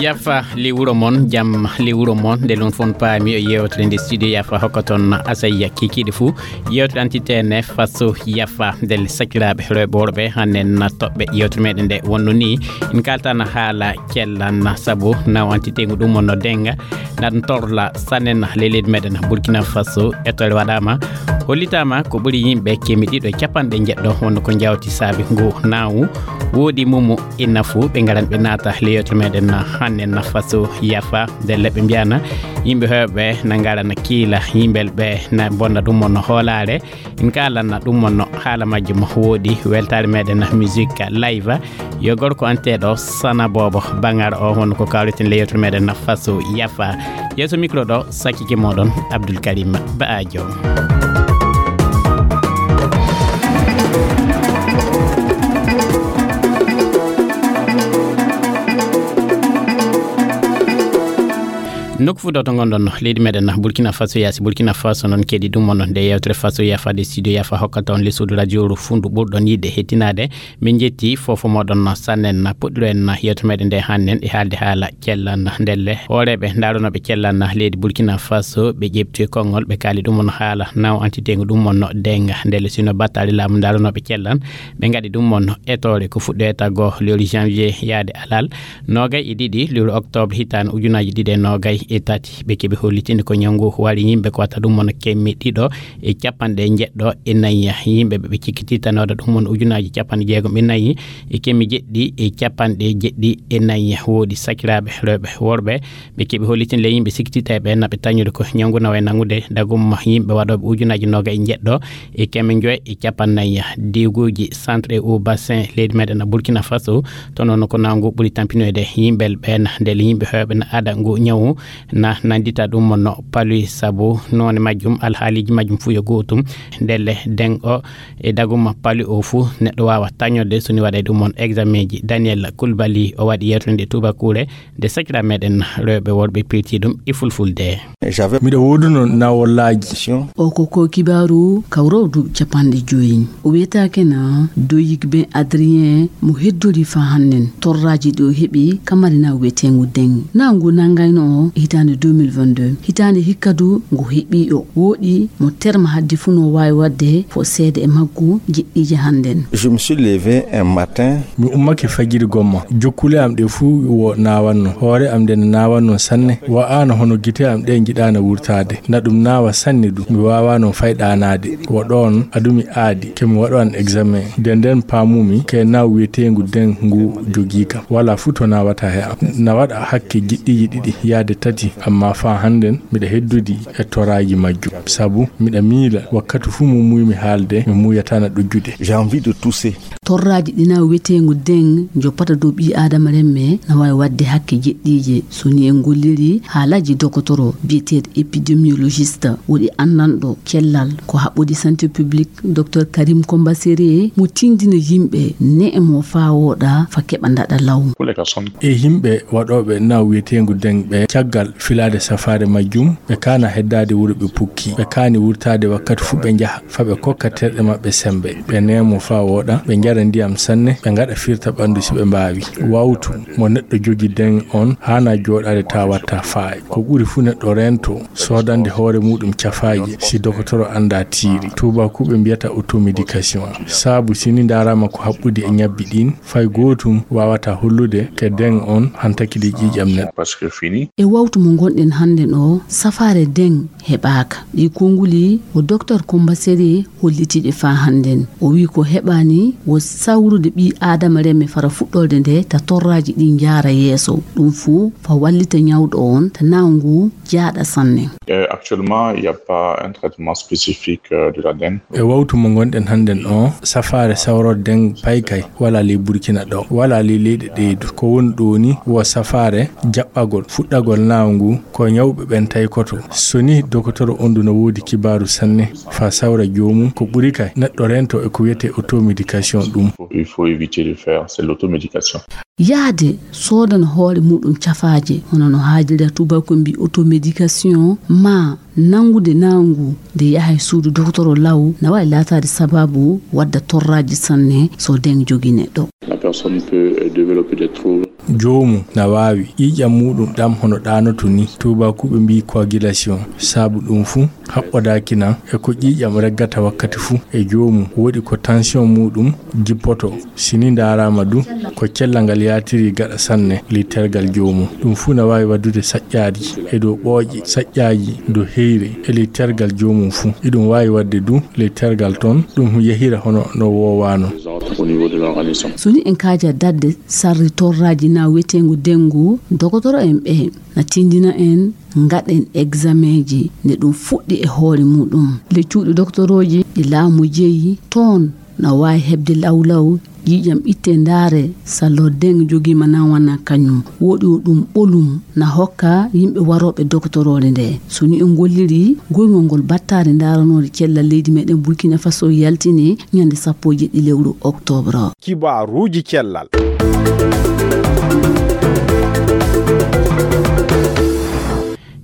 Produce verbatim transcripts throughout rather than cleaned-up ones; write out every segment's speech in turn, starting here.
Yafa li wuro mon, jam li wuro mon. Nde lon fon paami o yewtere nde studio Yafa hokka ton asayya kikiɗe fuu. Yewtere antitene faso Yafa ndelle sakiraaɓe rewɓe worɓe hannen na toɓɓe yewtere meɗen nde wonno ni. En kaltana haala cellan sabu naw antitengu ɗum wonno denga. Naɗum torla sannen leledi meɗen Burkina Faso. Etore waɗama, hollitama ko ɓuri yimɓe kemi ɗiɗo e capanɗe njeɗɗo wonno ko jawti saabi ngu nawu. Woodi mumu inna fuu ɓe ngaran ɓe naata le yewtere meɗen hanne na faso Yafa ndelle ɓe mbiyana yimɓe hewɓe na ngara na kiila yimɓel ɓe na bonna ɗum wonno hoolaare. En kaalanna ɗum wonno haala majjum woodi weltaare meɗen musique live. Yo gorko anteɗo sana bobo bangar o wonno ko kawriten le yewtere meɗen na faso Yafa. Yeeso micro ɗo sakkike moɗon Abdoul Karim Baajo. Nokku fuu ɗo to ngonɗon no leydi meɗen Burkina Faso yaasi Burkina Faso noon keɗi ɗum wonno nde yewtere faso Yafa de studio Yafa hokkata on le suudu radio ru fundu ɓurɗon yiɗde hettinaade. Min njetti fofo moɗon sannen puɗɗiro en yewtere meɗen nde hannen e haalde haala cellan ndelle hooreɓe ndaronoɓe cellan leydi Burkina Faso ɓe ƴeɓti konngol ɓe kaali ɗum on haala naw antitengu ɗum on denga ndelle sino battali laamu ndaronoɓe cellan ɓe ngaɗi ɗum on etore ko fuɗɗoyta go lewru janvier yaade alal nogay e ɗiɗi lewru octobre hitande ujunaji ɗiɗi e nogay e tati ɓe keɓi hollitinde ko ñawngu wari yimɓe ko watta ɗum on kemmi ɗiɗo e capanɗe njeɗɗo e nayi yimɓe ɓe ɓe cikkititanoɗo ɗum on ujunaji capanɗe jeegom e nayi e kemi jeɗɗi e capanɗe jeɗɗi e nayi woodi sakiraaɓe rewɓe worɓe ɓe keɓi hollitin le yimɓe sikkitita e ɓe naɓe tañude ko ñawngu nawa e nangude dagum yimɓe waɗoɓe ujunaji noga e jeɗɗo e keme joy e capannayi diguji centre e o bassin leydi meɗen burkina faso to noon ko nangu ɓuri tampinoyde yimɓe ɓen ndele yimɓe hewɓe na ada ngu ñawu na nandita ɗum no paluy sabu none majjum alhaaliji majjum fuu yo gootum ndelle den o e daguma palu o fuu neɗɗo waawa tañorde so ni waɗay ɗum on examen ji daniel kulbali o waɗi yewtere nde tubakure nde sakira meɗen rewɓe worɓe pirti ɗum e fulfulde. Miɗo wooduno nawolaaji. O ko ko kibaaru kawrowdu capanɗe joyi o wiyetaake na doyik ben adrien mo heddori fa hannen torraaji ɗi o heɓi kamarina wiyeteengu den na ngu nanngayno o hitaande deux mille vingt-deux hitaande hikka du ngu heɓi o wooɗi mo terma haddi fuu no waawi waɗde fo seede e maggu jeɗɗiije hannden. Je me suis levé un matin. Mi ummake fajiri gomma jokkule am ɗe fuu wo naawanno hoore am nde no naawanno sanne wa'aano hono gite am ɗe njiɗaano wurtaade na ɗum naawa sanne du mi waawaano fay ɗaanaade wo ɗoon adumi aadi ke mi waɗo an examen nde nden paamumi ke naaw wiyeteengu den ngu jogii kam walaa fuu to naawata he am na waɗa hakke jiɗɗiiji ɗiɗi yaade tati amma faa hannden miɗa heddudi e toraaji majjum sabu miɗa miila wakkati fuu mo muuymi haalde mi muuyataa na ɗojjude. J'ai envie de tousser. Torraaji ɗi na wiyeteengu den joppata dow ɓii aadama remme na waawi waɗde hakke jeɗɗiije so ni en golliri haalaaji dokotoro biyeteeɗo épidémiologiste woɗi anndanɗo cellal ko haɓɓodi santé publique docteur karim combasere mo tindina yimɓe ne'e mo faa wooɗa fa keɓa ndaɗa law. E yimɓe waɗooɓe na wiyeteengu den ɓe caggal filaade safaare majjum ɓe kaana heddaade wuro ɓe pukki ɓe kaani wurtaade wakkati fuu ɓe njaha fa ɓe kokka terɗe maɓɓe sembe ɓe neemo faa wooɗa ɓe njara ndiyam sanne ɓe ngaɗa firta ɓanndu si ɓe mbaawi wawtu mo neɗɗo jogi den on haana jooɗaade taa watta faay ko ɓuri fuu neɗɗo rento soodande hoore muɗum cafaaje si dokotoro annda tiiri tuubakuuɓe mbiyata automédication saabu si ni ndaaraama ko haɓɓudi e ñabbi ɗin fay gootum waawata hollude ke den on hantaki ɗi ƴiiƴam neɗɗo. E wawtu mo ngonɗen hannden o safaare den heɓaaka ɗi konguli o docteur combaseri hollitiiɗe faa hannden o wii ko heɓaani wo sawrude ɓii aadama remme fara fuɗɗorde nde ta torraaji ɗi njaara yeeso ɗum fuu fa wallita ñawɗo on ta nawngu jaaɗa sanne. Actuellement il n'y a pas un traitement spécifique de la dengue. E wawtu mo ngonɗen hannden o safaare sawrorde den paykay wala ley burkina ɗo wala ley leyɗe ɗeydu ko woni ɗo ni wo safaare jaɓɓagol fuɗɗagol naawu ngu ko ñawɓe ɓen taykoto so ni dokotoro on du no woodi kibaaru sanne fa sawra joomum ko ɓuri kay neɗɗo rento e ko wiyetee automédication ɗum. Il faut éviter de faire c'est l'automédication. Yahde soodana hoore muɗum cafaaje hono no haajira tubakoɓe mbi automédication ma Nanngude naangu nde yaha e suudu dokotoro law na waawi laataade sabaabu wadda torraaji sanne so deng jogii neɗɗo. La personne peut, euh, développer des troubles. Joomum na waawi ƴiiƴam muuɗum ɗam hono ɗaanoto ni, tuubaakuuɓe mbiyi coagulation. Sabu ɗum fuu haɓɓodaaki na e ko ƴiiƴam reggata wakkati fuu e joomum. Woodi ko tension muuɗum jippoto. Si ni ndaaraama du, ko cellal ngal yaatiri gaɗa sanne ley tergal joomum. Ɗum fuu na waawi waddude saƴƴaaji e dow ɓooƴe, saƴƴaaji dow heyre e ley tergal joomum fuu. Iɗum waawi waɗde du ley tergal toon, ɗum yahira hono no woowaano. Au niveau de l'organisme. So ni en kaaja daɗde sarri torraaji na wiyeteengu dengu, dokotoro en ɓe na tindina en ngaɗen egzamenji nde ɗum fuɗɗi e hoore muuɗum. Ley cuuɗi doktorooji ɗi laamu jeyi, toon na waawi heɓde lawlaw ƴiiƴam itte ndaare sallo deng jogiima na wona kañum. Woɗi o ɗum ɓolum na hokka yimɓe warooɓe dokotoroore nde. So ni en ngolliri, goyngol ngol battaari ndaaranoore cellal leydi meɗen Burkina Faso yaltini ñande sappo e jeɗɗi lewru oktoobre. Kibaaruuji cellal.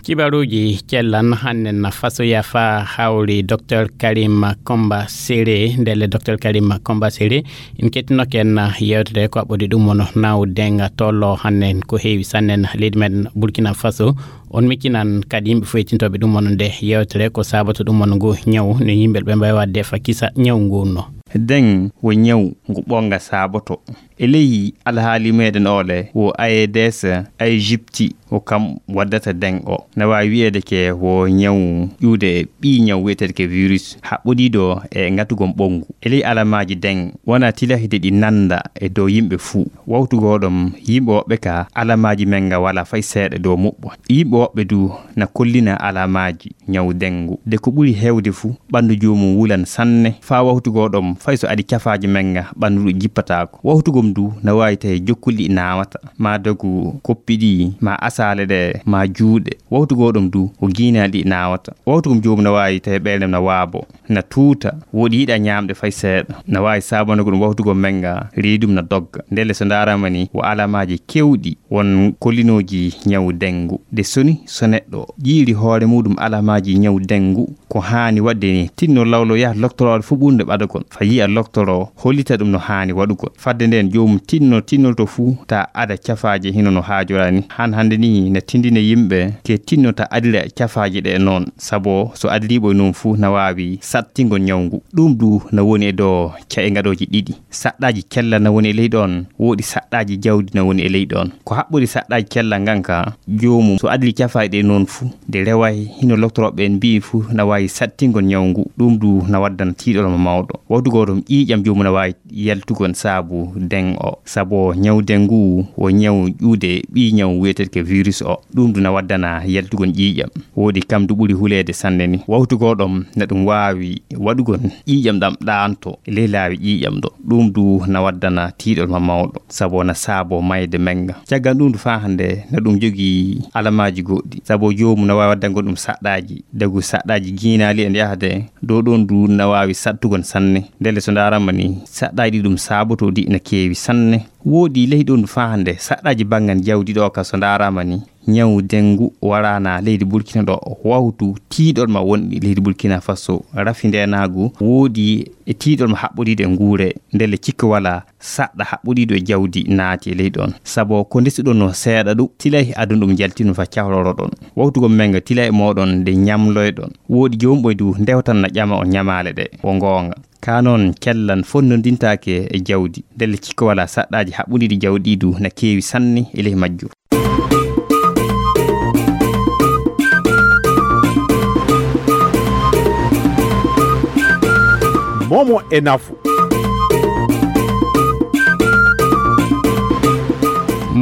Kibaruuji cellan hannen fasoya fa hawri Docteur Karim Komba Sere. Ndelle Docteur Karim Komba Sere, en kettinoken yewtere ko aɓɓodi ɗum wano naw denga tollo hannen ko heewi sannen leydi men Burkina Faso. On miccinan kadi yimɓe fof yettintooɓe ɗum wano nde yewtere ko sabato ɗum wano ngu ñaw no yimɓe ɓe mbawi wadde fa kisa ñaw ngu no. Den wo ñaw ngu ɓonga saboto. E ley alhaali meɗen ole wo A E D S, Egypti, ko kam waddata den o. Na waawi wi'eede ke wo ñaw ƴuude ɓii ñaw wi'eteede ke virus haɓɓodiiɗo e ngatugol ɓonngu. E ley alamaaji den wona tilahide ɗi nannda e dow yimɓe fuu. Wawtu goo ɗom yimɓe woɓɓe ka alamaaji men nga wala fay seeɗa dow muɓɓo. Yimɓe woɓɓe du na kollina alamaaji ñaw dengu. De ko ɓuri heewde fuu, ɓanndu joomum wulan sanne, faa wawtu goo ɗom, fay so adii cafaaji men nga, ɓanndu ɗum jippataako. Wawtu gom du na waawi tawi jokkuli ɗi naawata, maa dogu koppi ɗi, maa asaale ɗe, maa juuɗe. Wawtu goo ɗom du, ko giinaali ɗi naawata. Wawtu gom joomum na waawi tawi ɓeynde na waabo, na tuuta, woɗi yiɗa ñaamde fay seeɗa. Na waawi saabanago ɗum wawtu gom men nga, reedum na dogga. Ndelle so ndaaraama ni, wo alamaaji keewɗi won kollinooji ñawu dengu. De soni so neɗɗo ƴiiri hoore muuɗum alamaaji ñawu dengu, ko haani waɗde ni, tinno lawlo yaha loktoroore fuu ɓurnde ɓadagol, fa yi'a loktoro hollita ɗum no haani waɗugol. Fadde nden joomum tinno tinnolto fuu ta ada cafaaje hino no haajora ni. Han hannde ni na tindina yimɓe ke tinno ta adira cafaaje ɗe noon, sabo so adiriiɓo e noon fuu na waawi sattingol ñawu ngu. Ɗum du na woni e dow ca'e ngaɗooji ɗiɗi. Saɗɗaaji cella na woni e ley ɗoon, woodi saɗɗaaji jawdi na woni e ley ɗoon. Ko haɓɓori saɗɗaaji cella ngan ka, joomum so adii cafaaɗe ɗe noon fuu, nde reway hino loktorooɓe ɓeen mbi'i fuu na waawi sattingol ñawu ngu, ɗum du na waddana tiiɗol mo mawɗo. Wawtu goo ɗum ƴiiƴam joomum na waawi yaltugol saabu den o. Sabo ñawu den ngu wo ñawu ƴuude ɓii ñawu wi'eteeɗo ke virus o, ɗum du na waddana yaltugol ƴiiƴam. Woodi kam du ɓuri huleede sanne ni. Wawtu goo ɗom na ɗum waawi waɗugol ƴiiƴam ɗam ɗaanto e ley laawi ƴiiƴam ɗo. Ɗum du na waddana tiiɗol ma mawɗo, sabo na saabo mayde men nga. Caggal ɗum du faa hannde na ɗum jogii alamaaji goɗɗi, sabo joomum na waawi waddangol ɗum saɗɗaaji, dagu saɗɗaaji giinaali e yahde dow ɗoon du na waawi saɗtugol sanne. Ndelle so ndaaraama ni, saɗɗaaji ɗi ɗum saabotoo ɗi na keewi sanne. Woodi ley ɗoon du faa hannde saɗɗaaji banngal jawdi ɗo ka so ndaaraama ni, ñawu dengu waraana leydi Burkina ɗo, wawtu tiiɗol ma wonɗi leydi Burkina Faso, rafi ndeenaagu, woodi e tiiɗol ma haɓɓodiiɗo e nguure, ndelle cikka wala saɗɗa haɓɓodiiɗo e jawdi naati e ley ɗoon. Sabo ko ndesuɗon no seeɗa ɗum, tilay adun ɗum jaltinu fa cawloro ɗon. Wawtu gom men nga tilay mooɗon nde ñamloyɗon. Woodi joomum ɓoy du ndewtan na ƴama on ñamaale ɗe, wo ngoonga. Ka noon, kellan fonnondintaake e jawdi. Ndelle cikka wala saɗɗaaji haɓɓudiiɗi jawdi du na keewi sanne e ley majjum. Momo e nafu.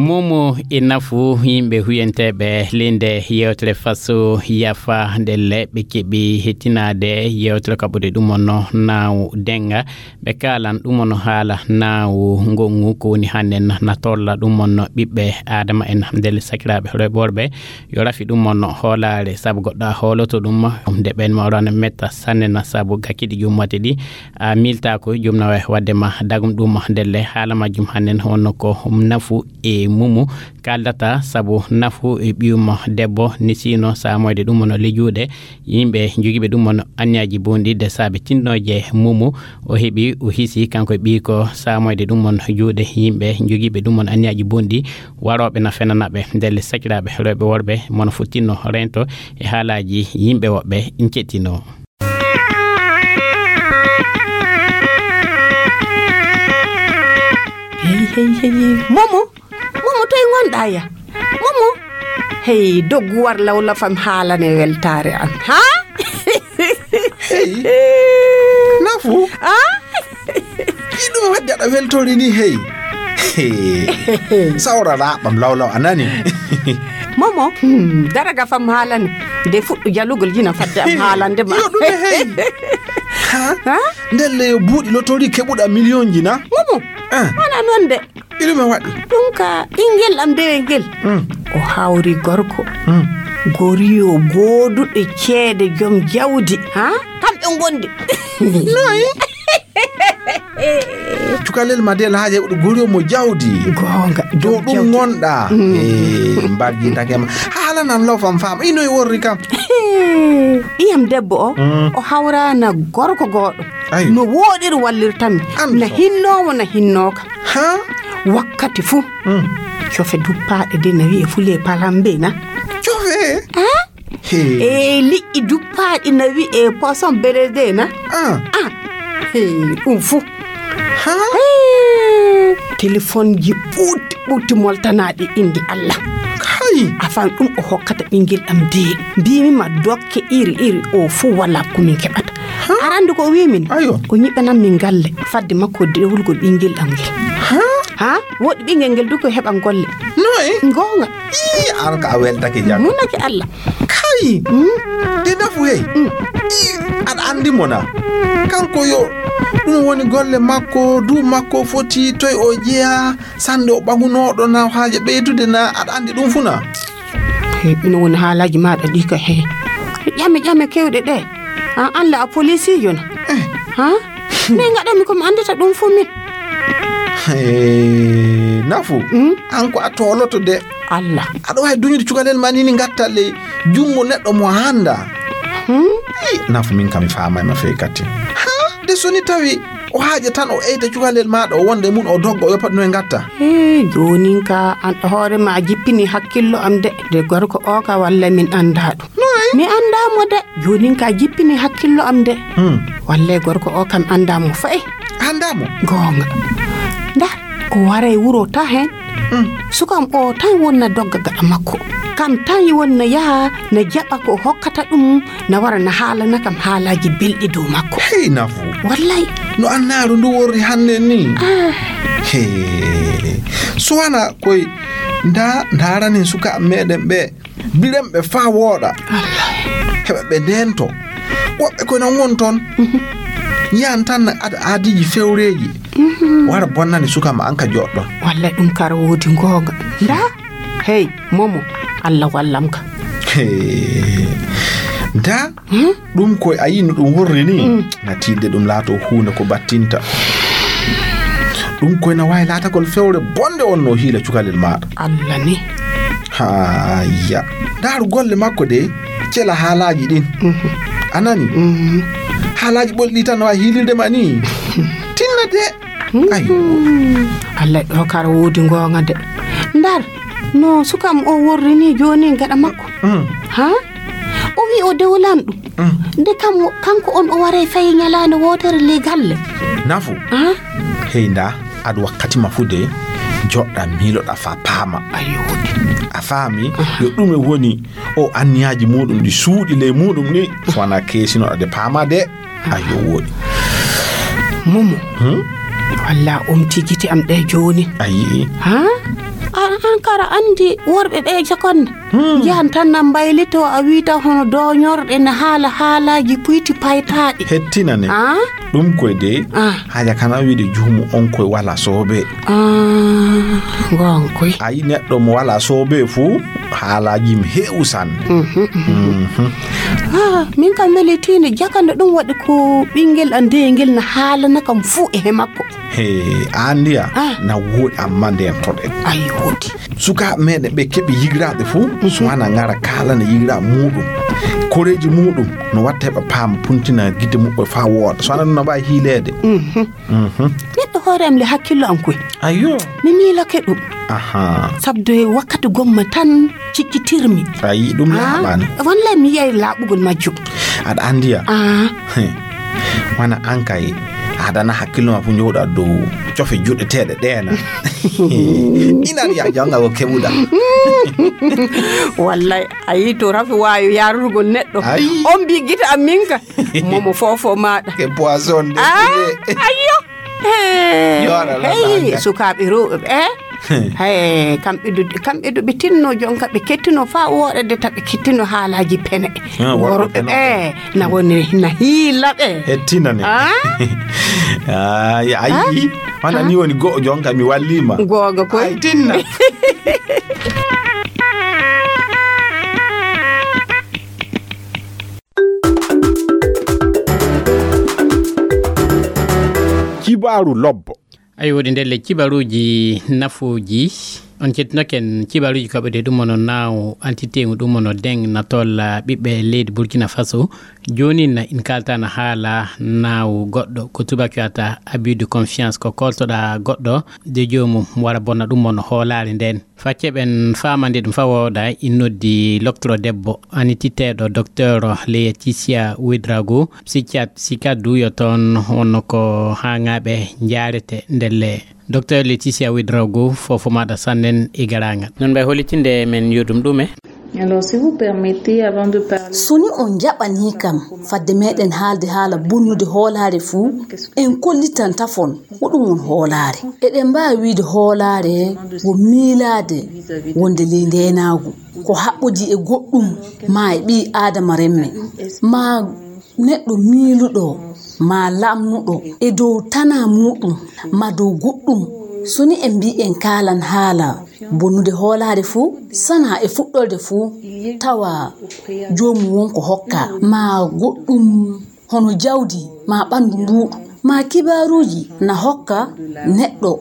Momo e nafu yimɓe huyenteeɓe linde yewtere faso yafa ndelle ɓe keɓi hettinaade yewtere kaɓude ɗum on no naaw denga. Ɓe kaalan ɗum on haala naawu ngongu ko woni hannden na tolla ɗum on ɓiɓɓe Aadama en. Ndelle sakiraaɓe reɓorɓe yo rafi ɗum on hoolaare, sabu goɗɗo a hooloto ɗum nde ɓen ma orana metta sanne na sabu gakkidi jum wate ɗi a milta ko jum na wawi wadde ma dagum ɗum ndelle haala majjum hannden honno ko nafu e Mumu kaaldata sabu Nafu e ɓiyum debbo, ni sino saamoyde ɗum on le juuɗe yimɓe jogiiɓe ɗum on anniyaaji bonɗi de saabe tinnooje Mumu. O heɓi, o hisi kanko e ɓiy ko saamoyde ɗum on juuɗe yimɓe jogiiɓe ɗum on anniyaaji bonɗi, warooɓe na fenanaɓe. Ndelle sakiraaɓe rewɓe worɓe, mono fo tinno rento e haalaaji yimɓe woɓɓe, in kettino. Hey, hey, hey, hey. Momo, Momo, toy ngonɗa ya? Momo, hey, doggu war lawla fam haalane weltaare an, ha? Hey, Nafu. Ah? Ki ɗum wadde aɗa weltori ni, hey. Hey. Sawra raɓam lawlaw a nani. Momo, hmm, daraga fam haalane. De fuɗɗu jalugol jina fadde am haalande ma. Yo ɗum e hey. Ha? Ha? Ndelle yo buuɗi lotori keɓuɗa miliyonji na? Momo, ah, wona non de. Iɗum e waɗi. Ɗum ka ɓingel am dewel ngel. Mm. O hawri gorko. Mm. Goriyo gooduɗo ceede, joom jawdi. Ha? Kamɓe ngondi. Noy? Cukalel ma de Alhaji Heɓuɗo goriyo mo jawdi. Goonga, dow joom ɗum jawdi. Ngonɗa. Mm. Eh, mbarji ndake ma. Haalanan law fam faama. Ino e worri kam. Ɓiyam debbo o, mm, o hawrana gorko gooɗo. Ayo. No wooɗiri wallirtami. An na so. Hinnoowo na hinnooka. Ha? Wakkati fuu. Mm. Cofe duppaaɗe de na wi'e fule palambe na. Cofe? Ha? Hey. E liƴƴi duppaaɗi na wi'e poisson bérésé na. Ah. Ah. Hey, ɗum fuu. Ha? Hey. Telefonji ɓuuɗɗi ɓuuɗɗi moltanaaɗi indi Allah. Kay. Afan ɗum o hokkata ɓingel am de. Mbimi ma dokke iri iri o fuu wala ko min keɓata. Ha? Arande ko o wi min. Ayo. O nyiɓanan min galle. Fadde makko dewlugol ɓingel am ngel. Ha? Ha? Woɗɗi ɓingel ngel du ko heɓan golle. Noy? Goonga. Ii, an ka a weltake jam. Munake Allah. Kay. Mm. De Nafu hey. Mm. Ii, aɗa andi mo na. Kanko yo. Ɗum woni golle makko, du makko foti toy o jeya. Sande o ɓagunoɗo na haaje ɓeydude na aɗa andi ɗum fu na. Hey, ina woni haalaaji maaɗa ɗi ka he. Ƴame, ƴame kewɗe ɗe. An, an la a polisiijo na. Eh. Ha? Min ngaɗanmi ko mi andita ɗum fu min. Hey, Nafu. Mm? An ko a toloto de. Allah. Aɗa wawi duñude cukalel ma ni ni ngatta le jungo neɗɗo mo handa. Hmm? Hey, Nafu min kam mi faamay ma fey kati. Ha? De soni tawi o haaja tan o eyta cukalel maaɗa o wonda e mun o dogga o yoppat no e ngatta. Hee, joonin ka an ɗo hoore ma a jippini hakkillo am de. De gorko o ka walla min anndaa ɗum. Noy? Mi anndaa mo de. Joonin ka a jippini hakkillo am de. Hmm. Wallay gorko o kam anndaa mo fay. Anndaa mo? Goonga. Ndaa, o waray wuro ta heen. Hmm. Suka am o tan wonna dogga gaɗa makko. Kam tan wonna yaha na jaɓa ko hokkata ɗum. Na wara na haalana kam haalaaji belɗi dow makko. Hey, Nafu. Wallay. No annaaru ndu worri hannde ni. Ah. Hey. Suwana koy nda ndaranen sukaaɓe meɗen ɓe. Biren ɓe faa wooɗa. Allah. Heɓa ɓe ndento. Woɓɓe koy nan won toon. Mhm. Yiyan tan na ad-, aadiiji fewreeji. Mhm. Wara bonnani suka ma an ka joɗɗo. Wallay ɗum kara woodi goonga. Nda. Hey, Momo, Allah wallam ka. Hey. Da, hmm? Ɗum ko a yii no ɗum worri ni? Mm. Na tiiɗde ɗum laato huunde ko battinta. Ɗum koy na waawi laatagol fewre bonde on no hiila cukalel maaɗa. Allah ni. Haa, ya. Ndaaru golle makko de, cela haalaaji ɗin. Mhm. A nani? Mhm. Haalaaji ɓolɗi tan no waawi hiilirde ma ni? Tinna de. Ayo. Allah ɗo kara woodi goonga de. Ndar, no sukam o worri ni jooni gaɗa makko. Mm. Ha? O wi o dewlan ɗum. Mm. De kam, kanko on o waray fayi nyalaande wootere le galle. Nafu. Ha? Hey nda, ad wakkati ma fu de, joɗɗa miiloɗa fa paama. Ayo. A faami, aha, yo ɗume woni o anniyaaji muɗum ɗi suuɗi ley muɗum ni, so wana keesinoɗa de paama de. Ayo, wooɗi. Momo. Hmm? Walla omti gite am ɗe jooni. A yi'i? Ha? An, an kara andi worɓe ɓe jakonne. Hmm. Njahan tan na mbaylito a wiita hono dooñorɗe na haala haalaaji puyti paytaaɗi. Hettinane. Ah? Ɗum koy de. Ah. Haja kana wiide juumu on koy wala soobe. Ah. Gonkoy. A yi neɗɗo mo wala soobe fu, haalaaji mi heewu sanne. Mhm, mhm. Mhm. Ah, min kam weli tiinde jakande ɗum waɗi ko ɓingel an deyngel na haalana kam fu e he makko. He, andiya, ah, na woɗi amma nden toɗe. Ay, woɗi. Sukaaɓe meɗen ɓe keɓi yigiraaɓe fu, mhm, so wana ngara kaalana yigiraaɓe muɗum. Koreeji muɗum, no watta heɓa paama puntina gite muɓɓe fa wooɗa. So wana no mbawi hiileede. Mhm. Mhm. Neɗɗo hoore am le hakkillo am koy. Ayyo. Mi miilake ɗum. Aha. Sabde wakkati gomma tan ciccitirmi. Ayi, ɗum ah, laaɓaani. Wallay mi yiyay laaɓugol majjum. Aɗa andiya? Ah. He. Wana an kay, aɗa na hakkillo ma fu njowɗa dow cofe juɗeteeɗe ɗeena. Ina ya janga ko keɓuɗa. Wallay, a yi to rafi waayo yarurgol neɗɗo. Ayi. On mbi gita am min ka. Momo fofo maɗa. Ke poison de. Ah, ayyo. Hey, sukaaɓe rewɓe ɓe, eh? Hey, kamɓe du, kamɓe du ɓe tinno jonka ɓe kettino fa woɗede ta ɓe kettino haalaji pene. Ah, worɓe worɓe pene. Eh, na woni na hiila ɓe. Hettina ne. Ah? Ay, ay. Ah? Mana ni woni go jonka mi wallima. Goga koy. Ay tinna. Kibaaru lobbo. Ayi, woɗi ndelle kibaruuji nafuuji. On cettinoken kibaruuji kaɓɓuɗe ɗum ono naaw antitengu ɗum ono deng na tolla ɓiɓɓe leydi Burkina Faso. Jooni na in kaltana haala naaw goɗɗo ko tubak wiyata abus de confiance, ko koltoɗa goɗɗo de joomum wara bonna ɗum ono hoolaare nden. Facce ɓen faamande ɗum fa wooda, in noddi loktoro debbo, anititeeɗo Docteur Laetitia Ouedraogo, psychiatre, psychiatre du yo toon, wonno ko haaŋaaɓe njaarete ndelle. Docteur Laetitia Ouedraogo, fofo maɗa sannen e garaŋal. Non mbay holitinde men yo ɗum ɗume? Alors, si vous permettez, avant de parler... So ni on njaɓanii kam, fadde meɗen haalde haala bonnude hoolaare fuu, en kollitan tafon ko ɗum woni hoolaare. Eɗen mbaawi wiyde hoolaare ko miilaade wonde ley ndeenaagu, ko haɓɓodii e goɗɗum maa e ɓii aadama remme, maa neɗɗo miiluɗo, maa lamnuɗo e dow tanaa muuɗum, maa dow goɗɗum. So ni en mbii en kaalan haala bonnude hoolaare fuu, sanaa e fuɗɗorde fuu, tawa joomum won ko hokka, maa goɗɗum hono jawdi maa ɓanndu mbuuɗu, maa kibaaruuji na hokka neɗɗo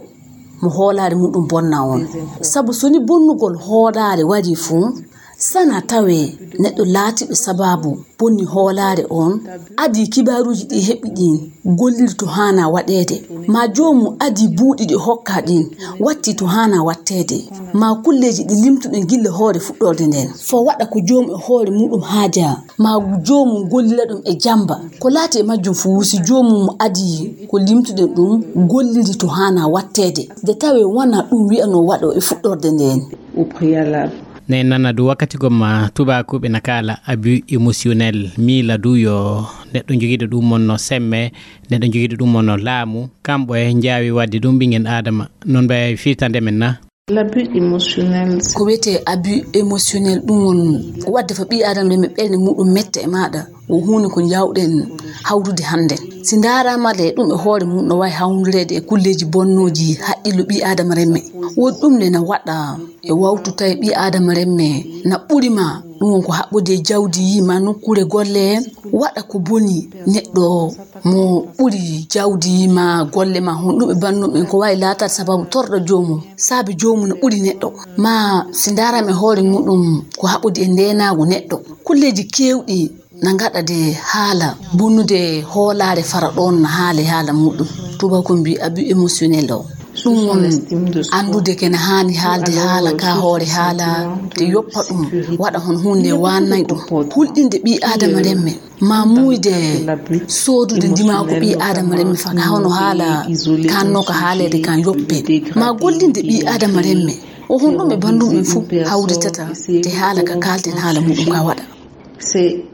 mo hoolaare muɗum bonna on. Sabu so ni bonnugol hoolaare warii fuu, sana tawee neɗɗo laatiiɗo sabaabu bonni hoolaare on, adii kibaaruuji ɗi heɓi ɗin golliri to haanaa waɗeede, maa joomum adii buuɗi ɗi hokkaa ɗin, watti to haanaa watteede, maa kulleeji ɗi limtuɗen gilla hoore fuɗɗorde nden, fo waɗa ko joomum e hoore muɗum haajaa, maa joomum gollira ɗum e jamba. Ko laati e majjum fuu, si joomum adii ko limtuɗen ɗum golliri to haanaa watteede, de tawee wonaa ɗum wi'anoo waɗoo e fuɗɗorde nden. Au préalable. Ne nana du wakkati gomma tubaakuɓe na kaala abus émotionnel, miila du yo neɗɗo jogiiɗo ɗum mon no semme, neɗɗo jogiiɗo ɗum mon no laamu, kamɓe njaawi waɗde ɗum ɓingen aadama. Non mbay firtande men na? L'abus émotionnel. Ko wiyetee abus émotionnel, ɗum won waɗde fa ɓii aadama nden ɓernde muɗum metta e maaɗa. Ko huunde ko njaawɗen hawrude hannden. Si ndaaraama le, ɗum e hoore mum no waawi hawrondireede e kulleeji bonnooji haqqillo ɓii aadama remme. Woodi ɗum le na waɗa e wawtu tawi ɓii aadama remme na ɓuri ma, ɗum won ko haɓɓodii e jawdi maa nokkuure golle, waɗa ko boni neɗɗo mo ɓuri jawdi maa golle maa honɗum e banndum en, ko waawi laataade sababu torɗo joomum, saabe joomum no ɓuri neɗɗo. Maa si ndaaraama e hoore muɗum ko haɓɓodii e ndeenaagu neɗɗo. Kulleeji keewɗi na ngaɗa de haala bonnude hoolaare fara ɗoon na haali haala muɗum. Tuubakoo mbii abus émotionnel o. Ɗum won anndude kene haani haalde haala ka hoore haala de yoppa ɗum, waɗa hon huunde waannay ɗum. Hulɗinde ɓii aadama remme, maa muuyde soodude ndimaagu ɓii aadama remme fa ka hono haala kanno ka haaleede kan yoppe, maa gollinde ɓii aadama remme. O honɗum e banndum en fuu hawritata de haala ka kaalten haala muɗum ka waɗa. C'est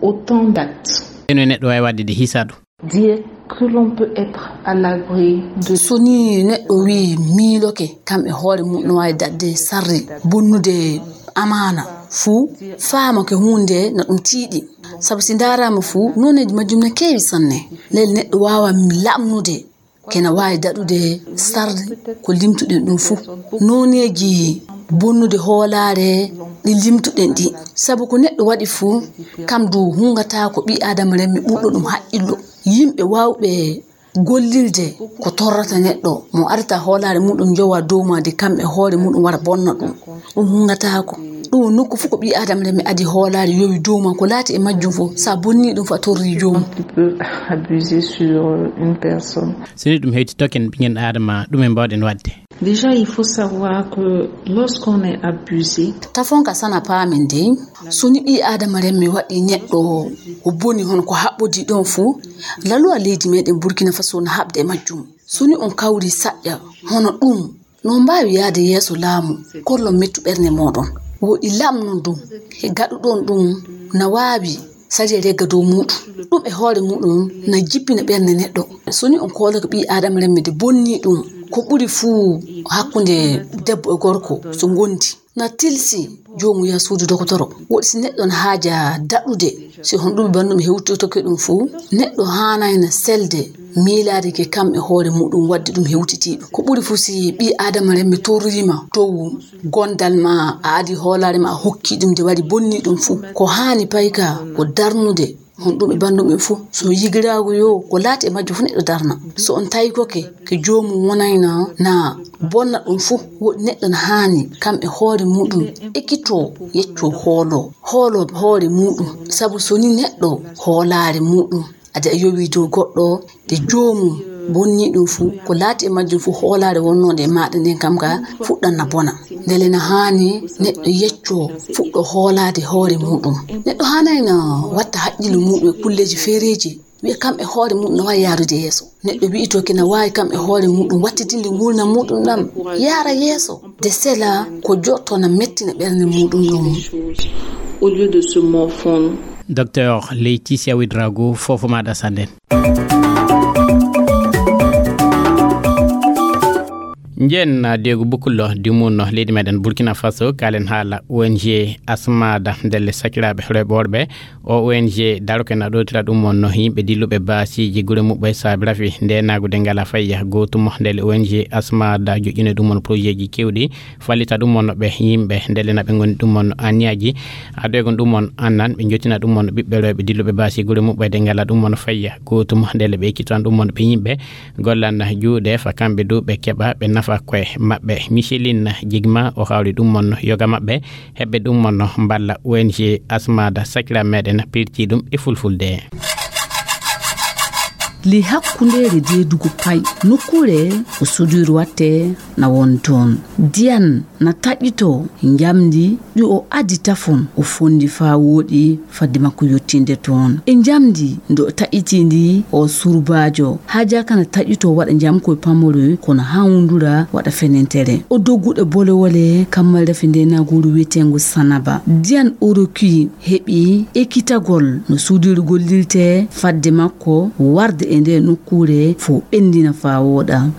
autant d'actes. Eno e neɗɗo waawi waɗde de hisaɗo. Dire que l'on peut être à l'abri de... So ni neɗɗo wii miiloke, kam e hoore mum no waawi daɗde sarri, bonnude amaana fuu, faama ko huunde no ɗum tiiɗi. Sabu si ndaaraama fuu, nooneeji majjum no keewi sanne. Leel neɗɗo waawa lamnude kena waawi daɗude sarde ko limtuɗen ɗum fuu. Nooneeji bonnude hoolaare ɗi limtuɗen ɗi. Sabu ko neɗɗo waɗi fuu, kam du hungataa ko ɓii Aadama remme ɓurɗo ɗum haqqillo. Yimɓe waawɓe gollirde ko torrata neɗɗo, mo arata hoolaare muɗum jowa dow ma de kam e hoore muɗum wara bonna ɗum. Ɗum hungataako. Ɗum woni nokku fof ko ɓii Aadama remme adi hoolaare yowi dow ma, ko laati e majjum fof, sa bonni ɗum fa torri joomum. Tu peux abuser sur une personne. So ni ɗum hewti token ɓingen Aadama, ɗum en mbawɗen waɗde. Déjà, il faut savoir que lorsqu'on est abusé, Tafon ka sana paamen dey, so ni ɓii Aadama remme waɗi neɗɗo o boni hono ko haɓɓodi ɗon fuu, laluwa leydi meɗen Burkina Faso na haɓde e majjum. So ni on kawri saƴƴa hono ɗum, no mbaawi yaade yeeso laamu, kollon mettu ɓernde mooɗon. Woɗi lamnon ɗum, he gaɗuɗon ɗum na waawi sariya regga dow muɗum. Ɗum e hoore muɗum na jippina ɓernde neɗɗo. So ni on koolake ɓii Aadama remme de bonni ɗum, ko ɓuri fuu hakkunde debbo e gorko so ngondi. Na tilsi joomu yaha suudu dokotoro. Woɗi si neɗɗo na haaja daɗude, si hon ɗum banndum hewtotoke ɗum fuu, neɗɗo haanayna selde miilaade ke kam e hoore muɗum waɗde ɗum hewtitiiɗum. Ko ɓuri fuu si ɓii Aadama remme torriima dow gondal ma, a adi hoolaare ma, a hokki ɗum de wari bonni ɗum fuu. Ko haani payka ko darnude hon ɗum e banndum en fuu. So yigiraagu yo ko laati e majjo fuu neɗɗo darna. So on tawi koke ke joomum wonayna na bonna ɗum fuu, woɗi neɗɗo na haani kam e hoore muɗum ekitoo yeccoo hooloo, hooloo hoore muɗum. Sabu so ni neɗɗo hoolaare muɗum adi a yowi dow goɗɗo de joomum bonni ɗum fuu, ko laati e majjum fuu hoolaare wonnoonde e maaɗa nden kam ka fuɗɗan na bona. Ndele na haani neɗɗo yeccoo fuɗɗo hoolaade hoore muɗum. Neɗɗo haanayna watta haqqillo muɗum e kulleeji feereeji. Wiya kam e hoore mum no waawi yaarude yeeso. Neɗɗo wi'itooke na waawi kam e hoore muɗum wattitinde nguurndam muɗum ɗam yaara yeeso. De sela ko jotto na mettina ɓernde muɗum ɗum. Au lieu de se morfondre. Docteur Laetitia Ouedraogo, fofo maɗa sanden. Njen deegu bukkullo dimunno leydi meɗen Burkina Faso, kalen haala O N G Asmada ndelle sakiraaɓe rewɓe worɓe. O O N G daroke na ɗowtira ɗum wonno yimɓe dilluɓe baasiiji gure muɓɓe saabi rafi nde naagude ngala fayya gootum. Ndele O N G Asmada joƴƴine ɗum won projet ji kewɗi, fallita ɗum wonno ɓe yimɓe ndele na ɓe ngoni ɗum wonno aniyaaji adoygon ɗum won annan ɓe jottina ɗum wonno ɓiɓɓe rewɓe dilluɓe baasi gure muɓɓe de ngala ɗum wonno fayya gootum. Ndele ɓe ekkitan ɗum wonno ɓe yimɓe gollan juuɗe fa kamɓe du ɓe keɓa ɓe nafa koye maɓɓe. Micheline Jigma o hawri ɗum wonno yoga maɓɓe heɓɓe ɗum wonno mballa O N G Asmada sakira meɗen pirti ɗum e fulfulde. Ley hakkundeere deedugo pay, nokkuure ko soudure watte na won toon. Diyan na taƴito njamndi ɗi o adi tafon, o fondi faa wooɗi fadde makko yottinde toon. E njamndi nde o taƴiti ndi, o surbaajo haajaka na taƴito waɗa njamkoy pamoroy, kono hawndura waɗa fenentere. O dogguɗe bolewole kammal rafi nde naguru wiyeteengo Sanaba. Diyan Oroki heɓi ekkitagol no suudiiru gollirte fadde makko warde e nde nokkuure fof ɓenndina faa wooɗa.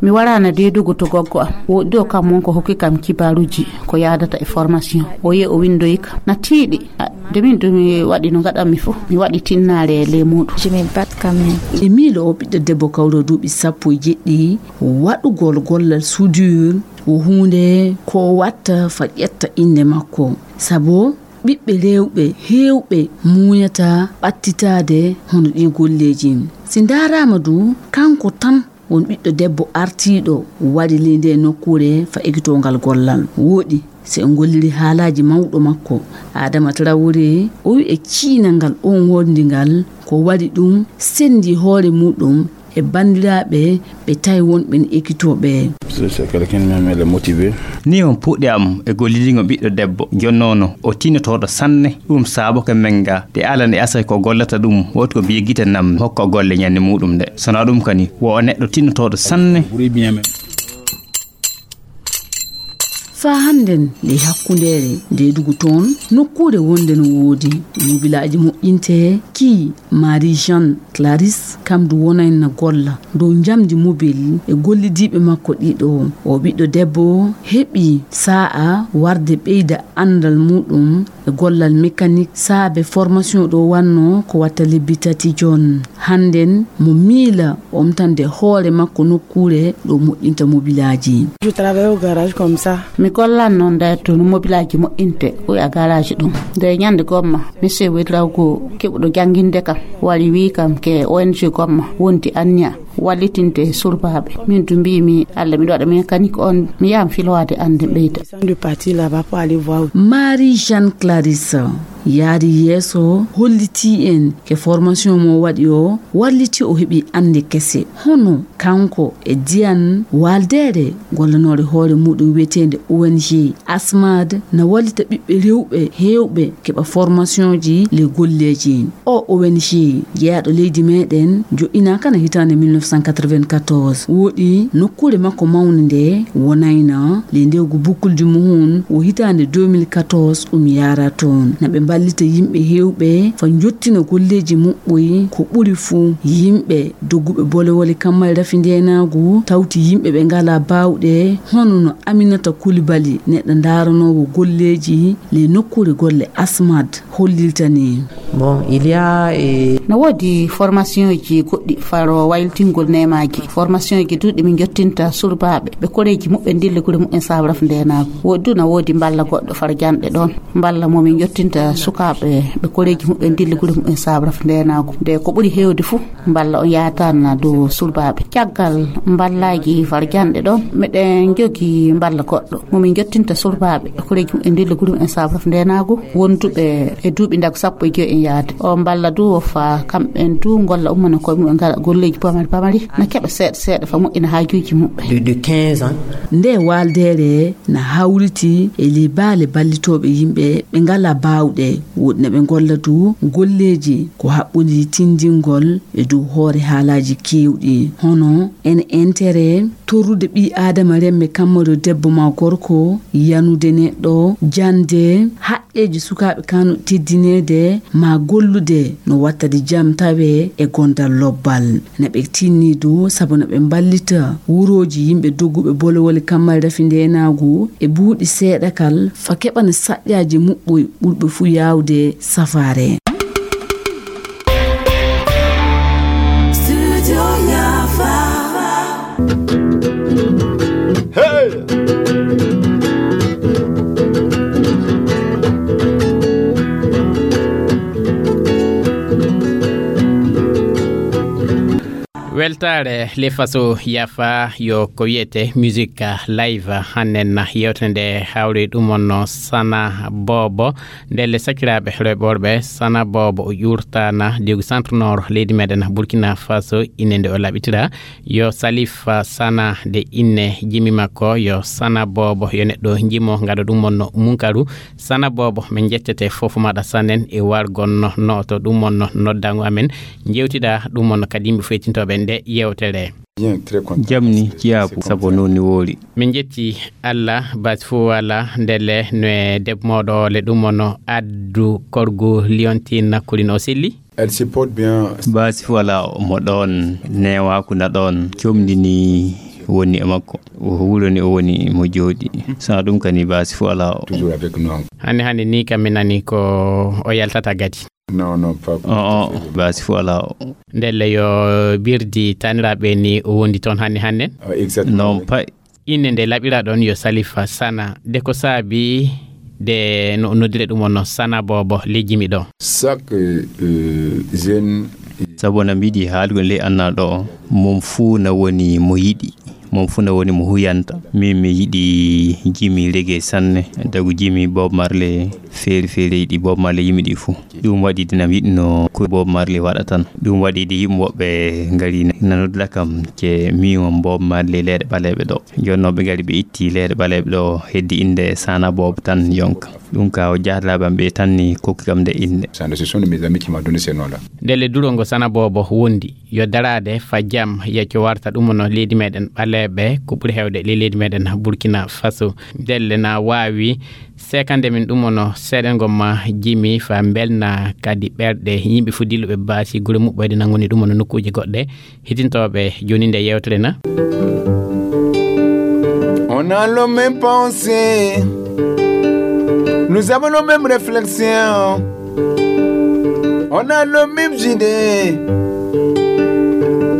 Mi waraana deedugo to goggo am. Woɗɗi o kam won ko hokki kam kibaaruuji ko yaadata e formation. O yehi o winndoyi kam. Na tiiɗi. A, nde min du mi waɗi no ngaɗanmi fof. Mi waɗi tinnaare e ley muuɗum. Je me batte quand même. E miilo o ɓiɗɗo debbo kawro duuɓi sappo e jeɗɗi, waɗugol gollal soudure ko huunde ko watta fa ƴetta innde makko. Sabu ɓiɓɓe rewɓe heewɓe muuyataa ɓattitaade hono ɗii golleeji. Si ndaaraama du, kanko tan won ɓiɗɗo debbo artiiɗo wari ley ndee nokkuure fa ekitoongal gollal. Wooɗi, si en ngolliri haalaaji mawɗo makko, Adama Traoré, o wi'i e ciynal ngal oon wondi ngal, ko waɗi ɗum senndi hoore muuɗum e banndiraaɓe ɓe tawi won ɓen ekitooɓe. C'est quelqu'un même, elle est motivée. Ni on puɗɗi am e gollidigo ɓiɗɗo debbo jonnoono o tinnotooɗo sanne. Ɗum saaboke men ga de alani asay ko gollata ɗum woti ko biye gite nam hokka golle ñande muɗum nde. Sona ɗum kani wo o neɗɗo tinnotooɗo sanne. Buri bien même. Faa hannden, ley hakkundeere ndeedugu toon, nokkuure wonde no woodi mobilaaji moƴƴinte, kii Marie Jeanne Clarisse, kam du wonayna golla dow njamndi mobil e gollidiiɓe makko ɗiɗo. O ɓiɗɗo debbo heɓi saa'a warde ɓeyda anndal muuɗum e gollal mécanique saabe formation ɗo wannoo ko watta lebbi tati jooni. Hannden mo miila omtande hoore makko nokkuure ɗo moƴƴinta mobilaaji. Je travaille au garage comme ça. Mi gollan noon nde tun mobilaaji moƴƴinte, o wi'a garage ɗum. Nde ñande gomma, monsieur Wedrago keɓuɗo jannginde kam, wari wii kam ke O N G gomma wondi anniya wallitinde surbaaɓe. Min du mbiimi, Allah, miɗo waɗa mécanique on, mi yahan filowaade annde ɓeyda. Descend de partir là-bas pour aller voir. Marie Jeanne Clarisse yaari yeeso, hollitii en ke formation mo waɗi o, walliti o heɓi annde kese. Hono kanko e Diane Waldere, gollanoore hoore muuɗum wiyeteende O N G Asmad, na wallita ɓiɓɓe rewɓe heewɓe keɓa formationji le golleeji. O O N G jeyaaɗo leydi meeɗen joɗɗinaaka na hitaande mille neuf cent quatre-vingt-quatorze. Woɗi nokkuure makko mawnde nde wonayna le ndewgu bukkuldi muhun wo hitaande deux mille quatorze ɗum yaara toon. Na ɓe mballita yimɓe heewɓe fa njottina golleeji muɓɓoy, ko ɓuri fuu yimɓe dogguɓe bolewole kammal rafi ndeenaagu, tawti yimɓe ɓe ngalaa baawɗe, hono no Aminata Coulibaly, neɗɗo ndaaranoowo golleeji le nokkuure golle Asmad, hollilta ni. Bon, il y a, eh, no woodi formation ji goɗɗi faro wayltingol neemaaji. Formation ji duuɗi min jottinta surbaaɓe ɓe koreeji muɓɓen ndilli gure muɓɓen sabraf ndeenaagu. Woodi du no woodi mballa goɗɗo faro janɗe ɗoon. Mballa mo min jottinta sukaaɓe ɓe koreeji muɓɓen ndilli gure muɓɓen sabraf ndeenaagu. Nde ko ɓuri heewde fuu, mballa on yaataana dow surbaaɓe. Caggal mballaaji faro janɗe ɗoon, meɗen jogi mballa goɗɗo mo min jottinta surbaaɓe koreeji muɓɓen ndilli gure muɓɓen sabraf ndeenaagu, wonduɓe e duuɓi ndagu sappo e joy en yaade. O mballa du o fa kamɓen du golla ummana koye mumen ngala golleeji pamari pamari, na keɓa seeɗa seeɗa fa moƴƴina haajuuji muɓɓen. De, de quinze ans. Nde waaldeere na hawriti e ley baale ballitooɓe yimɓe ɓe ngalaa baawɗe, woɗɗi na ɓe ngolla du golleeji ko haɓɓodii tinndingol e dow hoore haalaaji keewɗi, hono en intérêt torrude ɓii aadama remme kamma yo debbo ma gorko, yanude neɗɗo, jannde, haqqeeji sukaaɓe kano teddineede, ma gollude no wattade jam tawe e gondal lobbal. Na ɓe tinni du sabu na ɓe mballita wurooji yimɓe dogguɓe bolewole kammal rafi ndeenaagu e buuɗi seeɗa kal fa keɓana saƴƴaaji muɓɓoy ɓurɓe fuu yaawde safaare. Studio Yafa. Hey! Weltaare le faso yafa yo ko wiyete musique live hannen na yewtere nde hawri ɗum on no Sana Bobo. Ndelle sakiraaɓe rewɓe worɓe, Sana Bobo o ƴuurtaana diwgu centre nord leydi meɗen Burkina Faso, ine nde o laɓitira yo Salif Sana, de inne jimi makko yo Sana Bobo, yo neɗɗo jimo ngado ɗum on no munkaru. Sana Bobo, min njettete fof maɗa sanen e wargon no, no to ɗum on no noddango amen. Njewtida ɗum on kadi yimɓe feytintooɓe nde yewtere. Bien, très content. Jam ni ciyaabu sabu noon ni woori. Min njetti Allah, baasi fof wala ndelle no e debbo mooɗo le ɗum on addu korgu liontin nakkurin o selli. Elle se porte bien. Baasi fof wala mo ɗoon newaku na ɗoon comdini woni e makko. O wuro ni o woni mo jooɗi. Sa ɗum kani baasi fof wala o. Toujours avec nous. Hannde hannde ni kam mi nani ko o yaltata gadi. Non, non, pas. O, o, baasi fof wala o. Ndelle yo birdi taniraaɓe ni o wondi toon hannde hannde. Ah, exactement, non, oui. Pas. Inde nde laɓira ɗon yo Salifa Sana. De ko saabi de no noddire ɗum on no Sana Bobo lejjimi ɗo. Chaque, euh, jeune. Sabu na mbiɗi haalugol ley anna ɗo, mum fuu na woni mo yiɗi, mum fuu na woni mo huyanta. Min mi yiɗi jimi reggae sanne, dagu jimi Bob Marley, feeri feeri ɗi Bob Marley yimi ɗi fuu. Ɗum waɗi de na mi yiɗno ko Bob Marley waɗa tan. Ɗum waɗi de yimɓe woɓɓe ngari na noddira kam ke miwon Bob Marley leyɗe ɓaleeɓe ɗo. Jooni noon ɓe ngari ɓe itti leyɗe ɓaleeɓe ɗo heddi innde Sana Bobo tan yonka. Ɗum ka o jaatalaɓe am ɓe tan ni kokki kam nde innde. Sana, ce sont mes amis qui m'ont donné ce nom-là. Ndelle durongo Sana Bobo wondi yo daraade fa jam yacco warta ɗum no leydi meɗen ɓaleeɓe. ɓe ko ɓuri heewde ley leydi meɗen Burkina Faso. Ndelle na waawi seekande min ɗum ono seeɗen gomma jimi fa mbelna kadi ɓerɗe yimɓe fof dilluɓe baasi gure muɓɓoyde nangoni ɗum ono nokkuuje goɗɗe. Hitintooɓe jooni nde yewtere na. On a le même pensée. Nous avons le même réflexion. On a le même idée.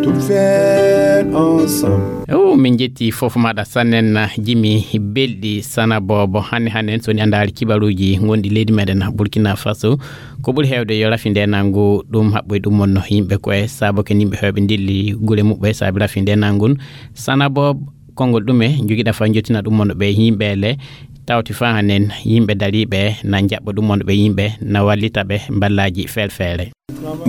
Tout faire ensemble. O min jetti fof maɗa sannen jimi belɗi sana bobo hanne hannen soni andaali kibaruji gondi leydi meɗen Burkina Faso. Ko ɓuri heewde yo rafi ndenangu ɗum haɓɓoy ɗum wonno yimɓe koye saabo ken yimɓe heewɓe ndilli gure muɓɓe saabi rafi ndenangun sana bobo. Konngol ɗume jogiɗa fa jottina ɗum wonno ɓe yimɓe le tawti fa hanen yimɓe dariɓe na jaɓɓo ɗum wonno ɓe yimɓe na wallita ɓe mballaji feere feere.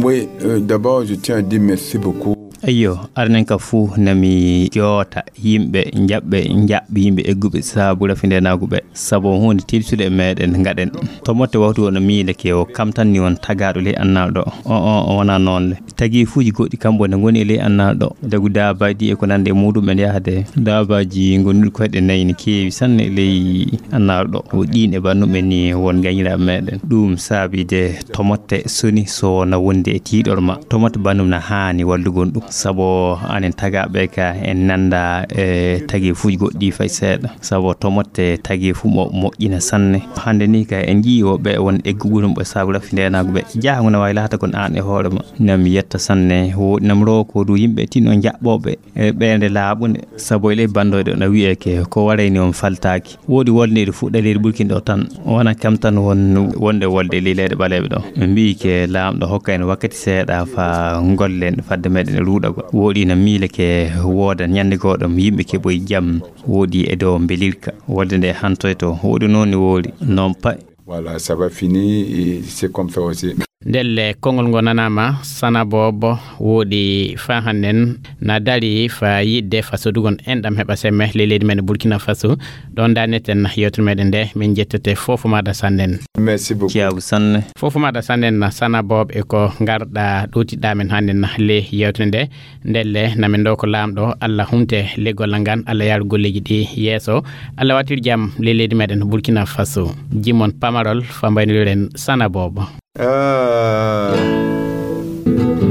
Oui, euh, d'abord, je tiens à dire merci beaucoup. Eyyo, arnen ka fuu nami joota yimɓe jaɓɓe jaɓɓe yimɓe egguɓe saabu rafi ndenaagu ɓe. Sabu huunde tilsude e meɗen ngaɗen. To motte wawtu won miile ke o kam tan ni won tagaaɗo ley annal ɗo. O o o wona noon le. Tagifuuji goɗɗi kamɓe ne ngoni e ley annal ɗo. Dagu daabaaji e ko nande e muɗum en yahde. Daabaaji ngonɗi koyɗe nayi ne keewi sanne e ley annal ɗo. O ɗiin e bannum en ni won gañiraaɓe meɗen. Ɗum saabide to motte soni so na wonde e tiiɗor ma. To motte bannum na haani wallugol ɗum. Sabu anen tagaaɓe ka en nanda e tagifuuji goɗɗi fay seeɗa. Sabu to motte tagifu mo moƴƴina sanne. Hannde ni ka en njii woɓɓe won eggugol mo ɓe saabu rafi ndenaagu ɓe. Jahango na waawi laata kon aan e hoore ma. Nam yetta sanne, woɗi nam roo ko du yimɓe tinno jaɓɓooɓe e ɓeynde laaɓunde. Sabu e ley banndoyɗo na wiyee ke ko warayni on faltaaki. Woodi wolde iri fuɗɗa leydi Burkina ɗo tan. Wona kam tan won wonde wolde ley leyɗe ɓaleeɓe ɗo. Ɓe mbiyi ke laamɗo hokka en wakkati seeɗa fa gollen fadde meɗen e ruuɗagol. Woɗi na miile ke wooda ñande goo ɗo yimɓe keɓoy jam. Woɗi e dow mbelirka. Wolde nde hantoyto. Woɗi noon ni woori. Noon pay. Voilà, ça va fini, et c'est comme ça aussi. Ndelle konngol ngo nanaama sana bobo woɗi fa hannen na dari fa yiɗde fa sodugon enɗam heɓa semme ley leydi men Burkina Faso. Ɗon daneten yewtere meɗen nde min jettete fofo maɗa sannen. Merci beaucoup. Ciyaabu sanne. Fofo maɗa sannen sana bobo e ko ngarɗa ɗowtiɗɗa men hannen ley yewtere nde. Ndelle namin ɗo ko laamɗo Allah humte leggol ngal Allah yaaru golleeji ɗi yeeso. Allah watir jam ley leydi meɗen Burkina Faso. Jimon pamarol fa mbaynoren sana bobo. Ah,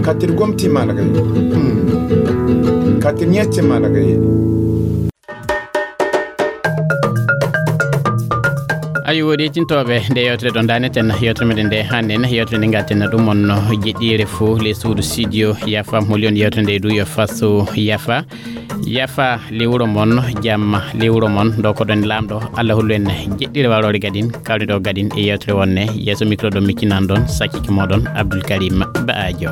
katir gomti mana kay. Hmm. Katir ñetti mana kay. Ayi woɗi tintooɓe nde yewtere ɗon daneten yewtere meɗen nde hannen yewtere nde gatten ɗum on jeɗɗire fof les suudu studio yafa moli on yewtere nde du yo faso yafa. Yafa lewuro mon jamma lewuro mon ɗo ko ɗon laamɗo Allah hollu en jeɗɗire warore gadin kawri ɗo gadin e yewtere wonne yeeso micro ɗo miccinan ɗon sakkiki moɗon Abdoul Karim Baajo.